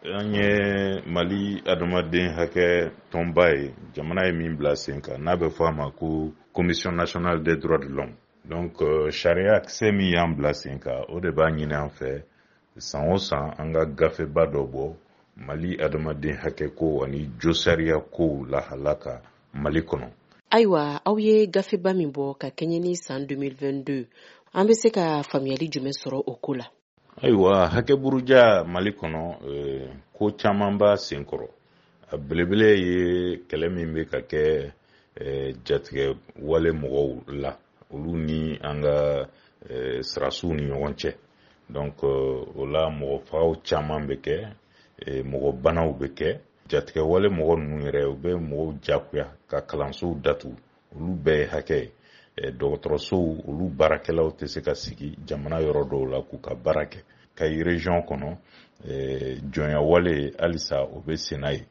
An ye Mali adamaden hakɛ tɔnba ye, jamana ye min bila sen kan, n'a bɛ fɔ a ma ko Commission nationale des droits de l'homme. Donc sariya kisɛ min y'an bila sen kan, o de b'a ɲini an fɛ san o san an ka gafeba dɔ bɔ Mali adamaden hakɛ ko ani josariya kow lahala kan Mali kɔnɔ. Ayiwa, aw ye gafeba min bɔ ka kɛɲɛ ni san 2022, an bɛ se ka faamuyali jumɛn sɔrɔ o ko la? Ayiwa, hakɛ buruja Mali kɔnɔ, ko caman b'a sen kɔrɔ. A belebele ye kɛlɛ min bɛ ka kɛ jatigɛ wale mɔgɔw la, olu ni an ka sirasiw ni ɲɔgɔn cɛ. Donc o la mɔgɔ fagaw caman bɛ kɛ, mɔgɔ banaw bɛ kɛ. Jatigɛ wale mɔgɔ ninnu yɛrɛ, u bɛ mɔgɔw jagoya ka kalansow datugu, olu bɛɛ ye hakɛ ye. Dɔgɔtɔrɔsow, olu baarakɛlaw tɛ se ka sigi jamana yɔrɔ dɔw la k'u ka baara kɛ. Kayi région kɔnɔ, jɔnya wale halisa o bɛ senna yen.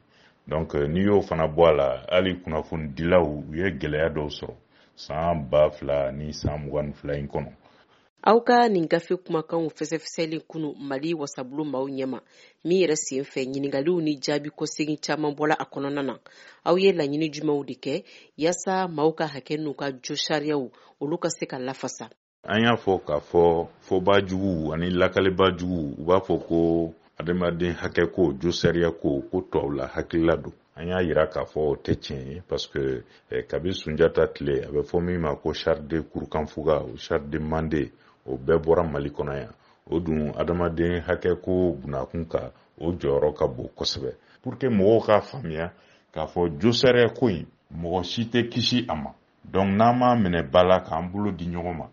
Donc n'i y'o fana bɔ a la, hali kunnafonidilaw, u ye gɛlɛya dɔw sɔrɔ san 2022 in kɔnɔ. Aw ka nin gafe kumakanw fɛsɛfɛsɛli kunu Mali wasabulon maaw ɲɛma, min yɛrɛ sen fɛ ɲininkaliw ni jaabi kɔsegin caman bɔla a kɔnɔna na, aw ye laɲini jumɛnw de kɛ yaasa maaw ka hakɛ n'u ka josariyaw olu ka se ka lafasa? An y'a fɔ k'a fɔ fɔba jugu ani lakaliba jugu, u b'a fɔ ko adamaden hakɛ ko, josariya ko, ko tubabula hakilila don. An y'a yira k'a fɔ o tɛ tiɲɛ ye, parce que kabi Sunjata tile, a bɛ fɔ min ma ko charte de Kurukanfuga, o charte de Mande, o bɛɛ bɔra Mali kɔnɔ yan. O dun, adamaden hakɛ ko bunakun kan, o jɔyɔrɔ ka bon kosɛbɛ. Pour que mɔgɔw k'a faamuya k'a fɔ josariya ko in, mɔgɔ si tɛ kisi a ma. Donc n'an m'a minɛ ba la k'an bolo di ɲɔgɔn ma,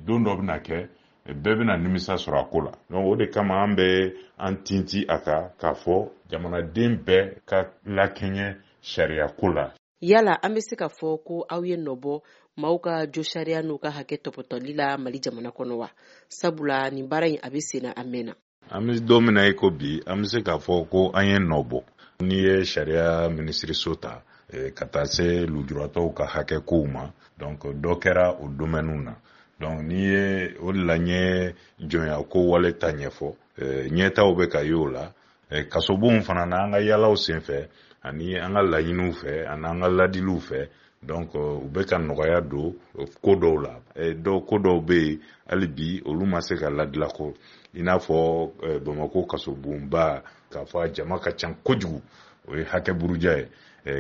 don dɔ bɛna kɛ, bɛɛ bɛna nimisa sɔrɔ a ko la. Donc o de kama an bɛ an tinti a kan k'a fɔ jamanaden bɛɛ ka lakɛɲɛ sariya ko la. Yala an bɛ se ka fɔ ko aw ye nɔ bɔ maaw ka josariya n'u ka hakɛ tɔpɔtɔli la Mali jamana kɔnɔ wa? Sabula nin baara in, a bɛ sen na a mɛnna. An bɛ don min na i ko bi, an bɛ se k'a fɔ ko an ye nɔ bɔ. N'i ye sariya minisiriso ta, ka taa se lujuratɔw ka hakɛ kow ma, donc dɔ kɛra o domaine na. Donc n'i ye o de la, n ye jɔnya ko wale ta ɲɛfɔ, ɲɛtaw bɛ ka ye o la. Kasobonw fana na, an ka yalaw senfɛ ani an ka laɲiniw fɛ ani an ka ladiliw fɛ, donc u bɛ ka nɔgɔya don ko dɔw la. Dɔw, ko dɔw bɛ yen hali bi, olu ma se ka ladila ko i n'a fɔ Bamakɔ kasobonba, k'a fɔ a jama ka ca kojugu, o ye hakɛ buruja ye.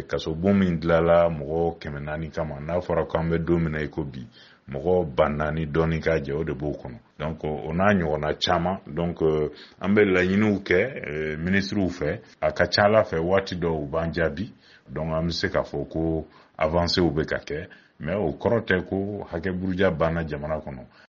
Kasobon min dilanla mɔgɔ 400 kama, n'a fɔra k'an bɛ don min na i ko bi, mɔgɔ 4000 dɔɔni k'a jɛ, o de b'o kɔnɔ. Donc o n'a ɲɔgɔnna caman. Donc an bɛ laɲiniw kɛ minisiriw fɛ, a ka ca ala fɛ waati dɔw u b'an jaabi. Donc an bɛ se k'a fɔ ko avancéw bɛ ka kɛ, mais o kɔrɔ tɛ ko hakɛ buruja banna jamana kɔnɔ.